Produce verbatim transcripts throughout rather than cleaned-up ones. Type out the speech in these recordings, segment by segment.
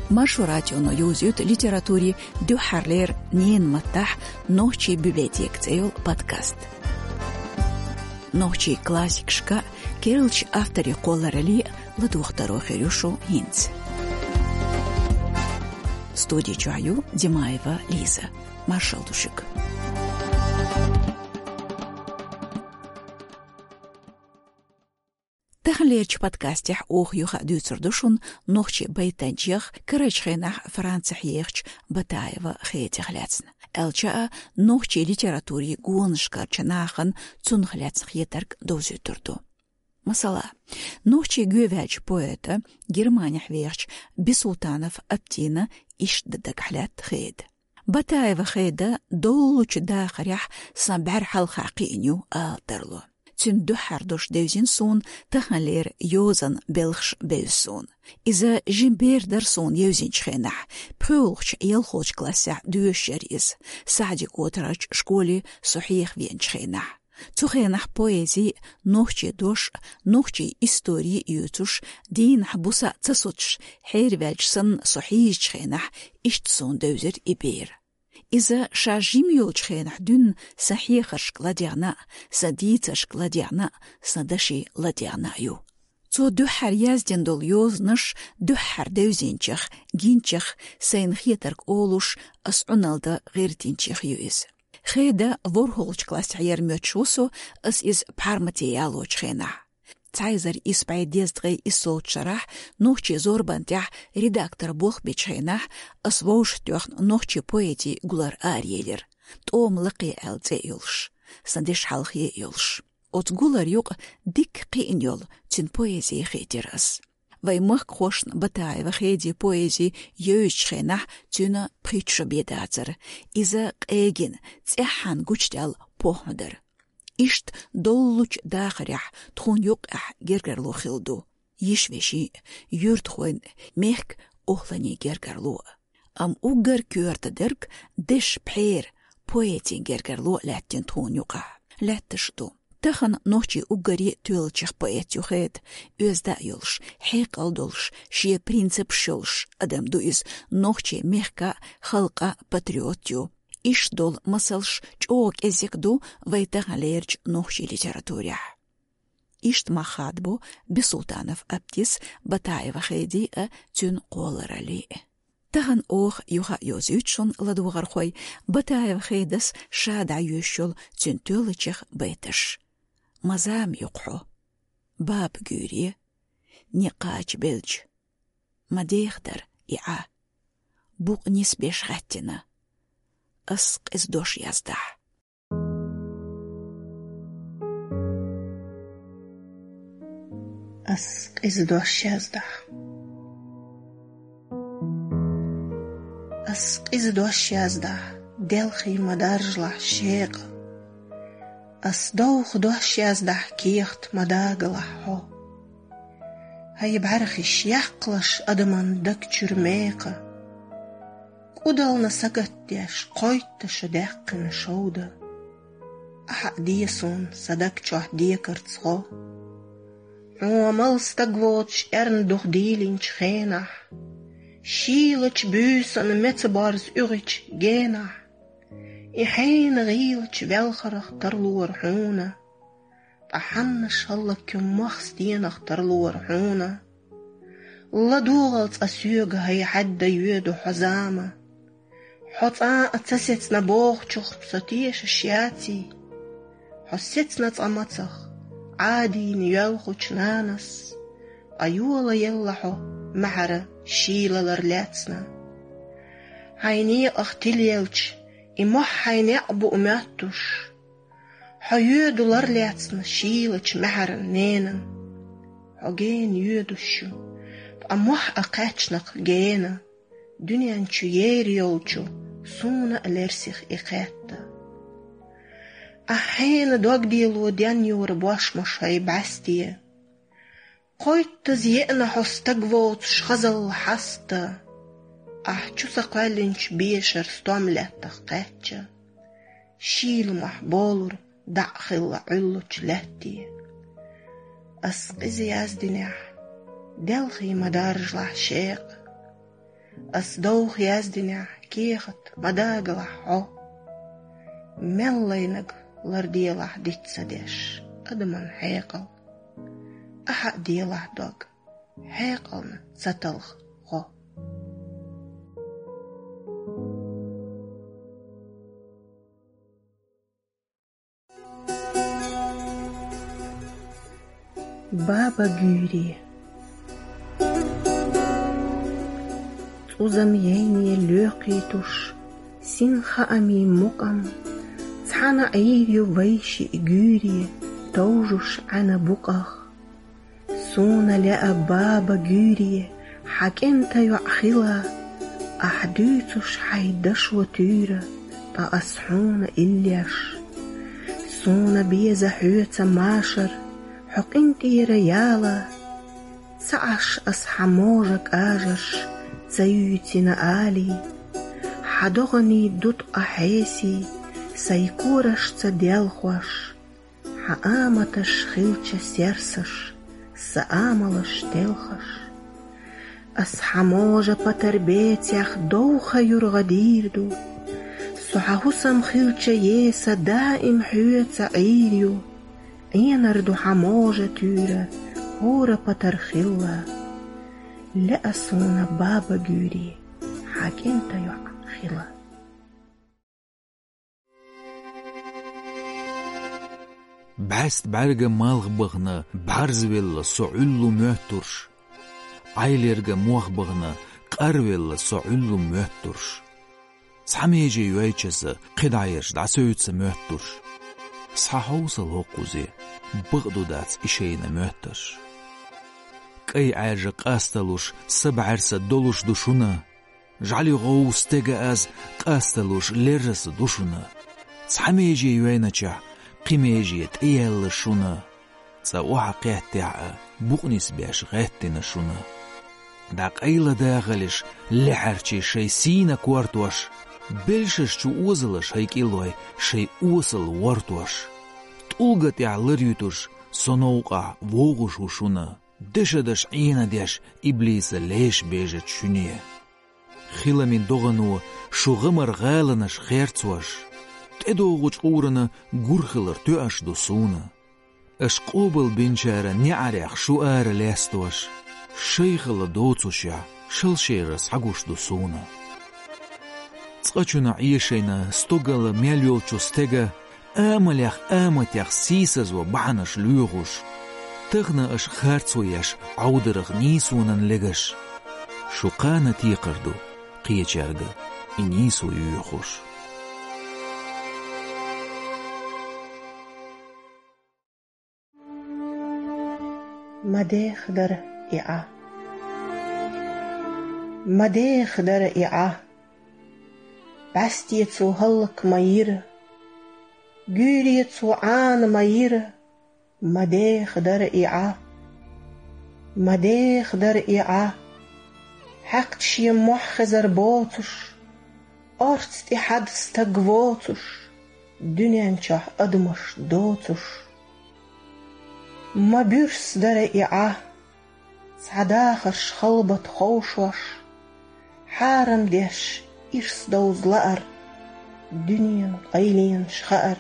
Маршо радионо йовзуьйту литературин дуьххьарлера ненан маттахь «Нохчийн библиотека» цӀе йолу подкаст. Нохчийн классикашка, керлачу авторийн кхолларалле ладогӀа таро хир ю шун хӀинца. Студи чохь ю Димаева Лиза. Маршалла ду шуьга. Таханлерчу подкастехь оха юха а дуьйцур ду шуна нохчийн байтанчех, карарчу хенахь Францехь ехачу Батаева Хедех лаьцна. Аьлча а, нохчийн литературин гонашкарчу нахана цунах лаьцна хетарг довзуьйтур ду. Масала, нохчийн гӀоьваьллачу поэта, Германехь вехачу Бисултанов Аптина иштта дагахь лаьтта Хеда. Батаева Хеда доллучу дахарехь сан бӀаьрхьалха кхиъна ю ала тарло. Цуьнан дуьххьара дош девзина суна, таханлера йозанан белхаш бевза суна. Иза жима бер дара суна евзинчу хенахь, пхоьалгӀачу, ялхолгӀачу классехь доьшуш яра иза, СаьӀди-Котарарчу школе со хьеха веанчу хенахь. Цу хенахь поэзи, нохчийн дош, нохчийн истори а юьйцуш, дийнахь буса а ца соцуш, хьерваьлча санна со хьийзачу хенахь, иштта суна девзира и бер. Иза ша жима йолчу хенахь дуьйна сан хьехаршка ладегӀна а, сан дийцаршка ладегӀна а, сан дашин ладегӀна а ю. Цо дуьххьара яздина долу йозанаш дуьххьара девзинчех, гинчех, сайна хетарг олуш, ас Ӏуналла дан гӀиртинчех ю иза. Хеда ворхӀолгӀачу классехь яра моьттуш ву со, ас иза пхьармате ялочу хенахь. Цхьа эзар исс бӀе дезткъе иссолгӀачу шарахь нохчийн зорбан тӀехь редакторан болх бечу хенахь ас вовшахтоьхна нохчийн поэзин гулар араелира, «ТӀома лакхе» аьлла цӀе а йолуш, сан дешан хьалхе а йолуш. Оцу гуларан юкъа дикка кхиъна йолу цуьнан поэзи хийтира ас. Вайн махкахошна Батаева Хедин поэзи евзачу хенахь цуьнан пхийтта шо бен дацара. Иза къегина, цӀеххьана гучудаьлла похӀма дара. Иштта доллучу дахарехь тхуна юккъехь гергарло хилла ду: йиш-вешин, юьртахойн, мехкан охӀланийн гергарло. Амма уггар коьрта дерг дешан пхьера, поэтин гергарло а лаьттина тхуна юкъахь. Лаьтташ а ду. Тахана нохчийн уггаре а тоьллачех поэт ю Хеда, оьзда а йолуш, хьекъал долуш, шен принципаш йолуш адам ду иза, нохчийн мехкан а, халкъан а патриот ю. Иштта долу масалш чӀогӀа кӀезиг ду вайн таханлерчу нохчийн литературехь. Иштта мах хадабо Бисултанов Аптис, Батаева Хедин а, цуьнан кхоллараллин а. Тахана оха юха а йовзуьйту шуна, ладогӀархой, Батаева Хедас ша дӀайоьшуш йолу цуьнан тоьллачех байташ. Ма зама ю-кх хьо, баба гуьйре, некъ кхача белча, ма деха дара и Ӏа, букъ нисбеш хаьттина, ас къиза дош яздахь. Ас къиза дош яздахь. Ас къиза дош яздахь, делхий ма даржалахь шекъа. Ас довха дош яздахь, кехат ма дагалахь хьо. Хьайн бӀаьрхиш яккхалаш адаман даг чуьра мекха. КӀудална сагатдеш, кхойтта шу даьккхина шовда. Ахьа а де суна сан даг чохь декарца гӀо. Хьо мала стаг воцуш эрна дух дийлинчу хенахь, шийлачу буьйсанна меца борза уьгӀичу генахь, и хьенан гӀийлачу велхарх тарлора хьуна. Ткъа хьаннаш хӀаллакьхуьн мах стенах тарлора хьуна. ЛадогӀал цкъа соьга хьайн хьаьдда йоьду хьо зама. Хьо цкъа а ца сецна бохучух со тешаш яций? Хьо сецна цкъа мацах, Ӏадийна йоьлхучу нанас, ткъа йолаелла хьо маьхьара шийлалар лаьцна. Хьайн некъах тилелча, и мохь хьайн некъ бу моьттуш. Хьо йоьду лар лаьцна шийлачу маьхьаран ненан. Хьо гена йоьдуш ю, ткъа мохь а кхаьчнакх гена. Дуьнен чу ер йолчу суна а лерсих и кхетта. Ахь хьенан догдело денйора бошмаш хьай бӀаьсте. Кхойттаза еана хьо стаг воцуш хазалла хьаста, ахь чу ца кхоьллинчу бешара стом лаьттах кхаьчча, шийла мохь болура дӀа а хилла Ӏуьллучу лаьтте. Ас къиза яздинехь, делхий ма даржалахь шекъа. Ас довха яздинехь кехат ма дагалахь хьо. Мел лайнарг ларделахь диц ца деш адаман хьекъал. Ахьа а делахь дог, хьекъална ца талха гӀо. Баба гуьйре. ЦӀузам яйне лоькхуьйтуш, син хаамийн мукъам, цхьана Ӏийр ю вай шиъ гуьйре, товжуш Ӏаьна букъах. Суна лаьа, баба гуьйре, хьан кӀентан йоӀ хила, ахь дуьйцуш хьайн дашо туьйра, ткъа ас хьуна иллеш. Суна беза хьоьца машар, хьо къинтӀера яла, ца Ӏаш ас хьан можа кӀажарш, ца юьйцина алий. Хьан догӀанийн ду ткъа хьесий, сайн корашца делхош, хьан аматаш хилча серсаш, сан амалаш телхаш. Ас хьан можа патар бецех довха юргӀа дийр ду. Со хьан хӀусам хилча еса даим хьоьца Ӏийр ю. Ӏенар ду хьан можа туьйра, хӀора патар хилла. Лаьа суна, баба гуьйре, хьан кӀентан йоӀ хила. БӀаьста бӀаьрга малх бахана, бӀарзвелла со Ӏуьллу моьттурш. Ӏайлерга мох бахана, къарвелла со Ӏуьллу моьттурш. Цхьа меже йойча аса, кхидӀа ерш дӀасуьйцу моьттурш. Схьахьовсал хӀокхузе, бакъду дац и шайна моьттарш. КӀай Ӏаьржа къасталуш, са бӀаьрса долуш ду шуна. ЖӀали гӀов стега аз, къасталуш лерраса ду шуна. Цхьа меже йойначохь, кхин меже тӀеяьлла шуна. Цкъа охьа кхеттехь а, букъ нисбеш гӀеттина шуна. ДӀакъайла дахалаш лаьхьарчий шайн сийна кортош, белшаш чу озалаш хӀай кӀиллой шайн осал вортош. ТӀулга тӀехь лар юьтуш, со новкъахь вогӀуш ву шуна. Дешадаш Ӏенадеш иблиса леш бежачу шуьне. Хиламийн догӀано шу гӀамар гӀаланаш херцош, тӀедогӀучу къурана гур хилар тоьаш ду суна. Аша къобалбинчара неӀарех шу ара лестош, шайхала доцушехь, шалшера схьагуш ду суна. Цкъачунна Ӏешайна стогала мел йолчу стега амалех аматех сийсазо бахьанаш лоьхуш, тахана аша харцо еш Ӏовдарах нийсонан легаш. Шу кхана текхар ду кхечаьрга и нийсо йоьхуш. Ма деха дара и Ӏа. Ма деха дара и Ӏа. БӀаьсте цо хӀаллак ма йира. Гуьйре цо Ӏана ма йира. Ма деха дара и Ӏа. Ма деха дара и Ӏа. Хьаькхча шен мохь хезар боцуш, орца тӀе хьада стаг воцуш, дуьнен чохь адамаш доцуш. Ма буьрса дара и Ӏа, цхьа дахарш халбат ховшош, хьарам деш ирс довза лаар, дуьненан къайленаш хаар.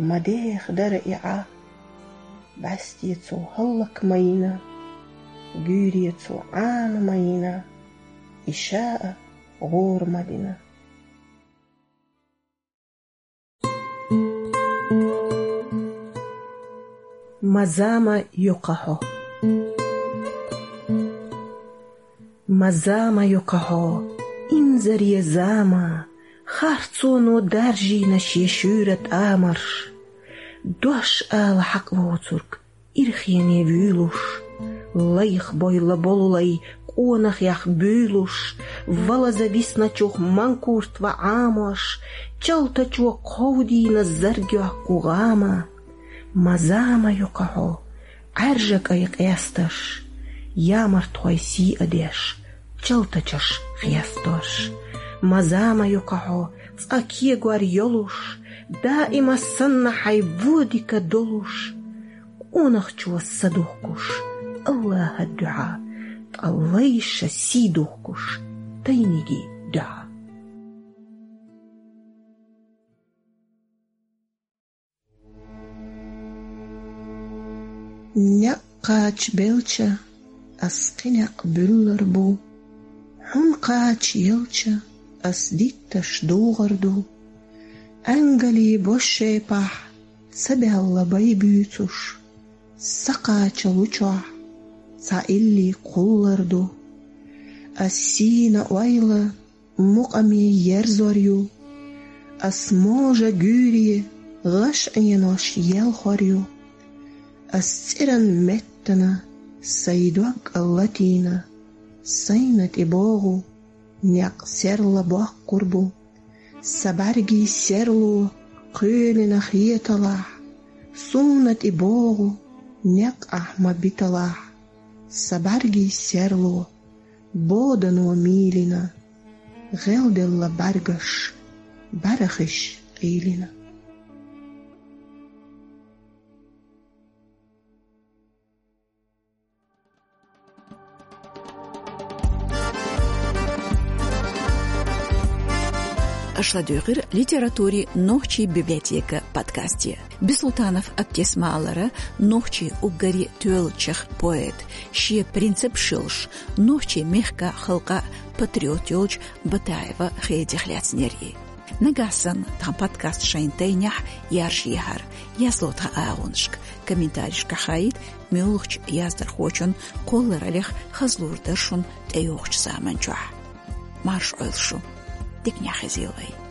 Ма деха дара и Ӏа, бӀаьсте цо хӀаллак ма йина, гуьйре цо Ӏана ма йина, и ша а гӀора ма дина. Ма зама юкъа хьо. Ма зама юкъа хьо, инзаре зама, харцоно даржийна шен шуьйра тӀамарш. Дош ала хьакъ воцург ирхене вуьйлуш, лайх бойла болулай къонахех буьйлуш, валаза висначух манкурт ва Ӏамош, чалтачо кховдийна заргоьхку гӀама. Ма зама юкъа хьо, Ӏаьржа кӀай къесташ, ямартхой сий а деш, чалтачаш хестош. Ма зама юкъа хьо, цкъа кегор йолуш, даима санна хьайн водика долуш, къонахчо са духкуш, Аллахьа дуьхьа, ткъа лайша сий духкуш, къийниги духьа. Некъ кхача белча, ас кхин некъ буьллар бу. Хьун кхача елча, ас дитташ дугӀар ду. Ангали бошшепахь ца баьлла бай буьйцуш, са кхача лучохь цхьа илли кхуллар ду. Ас сийна ойла мукъаме ерзор ю. Ас можа гуьйре гӀаш Ӏенош елхор ю. Ас цӀеран меттана сай дог латийна, сайна тӀе богӀу некъ серла боккхур бу. Са бӀаьргийн серло кхоьлина хеталахь, суна тӀе богӀу некъ ахь ма биталахь. Са бӀаьргийн серло бодано мийлина, гӀелделла бӀаьргаш бӀарахиш къийлина. Аша ладуьйгӀира литературин нохчийн библиотека подкасте. Бисултанов Аптес ма аллара, нохчийн уггаре тоьллачех поэт, шен принципаш йолуш, нохчийн мехкан, халкъан патриот йолчу Батаева Хедих лаьцнера и. Нагахь санна тхан подкаст шайн тайнехь яржа ехьара, язло тхан агӀонашка, комментарийшкахь хаийта, муьлххачу яздархочун кхоллараллех хазлур дара шуна тӀейогӀучу заман чохь. Марша Ӏойла шу. Диканехь хезийла вай.